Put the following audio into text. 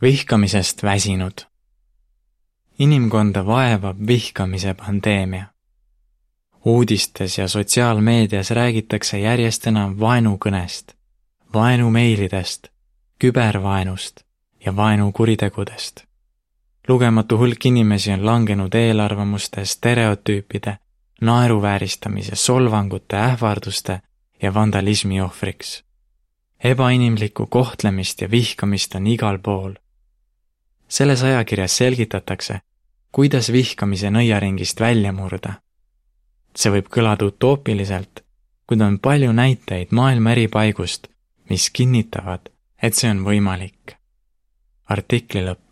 Vihkamisest väsinud. Inimkonda vaevab vihkamise pandeemia. Uudistes ja sotsiaalmeedias räägitakse järjest enam vaenukõnest, vaenumeilidest, kübervaenust ja vaenukuritegudest. Lugematu hulk inimesi on langenud eelarvamuste, stereotüüpide, naeruvääristamise, solvangute, ähvarduste ja vandalismi ohvriks. Ebainimlikku kohtlemist ja vihkamist on igal pool. Selles ajakirjas selgitatakse, kuidas vihkamise nõiaringist välja murda. See võib kõlada utoopiliselt, kuid on palju näiteid maailma eri paigust, mis kinnitavad, et see on võimalik. Artikli lõpp.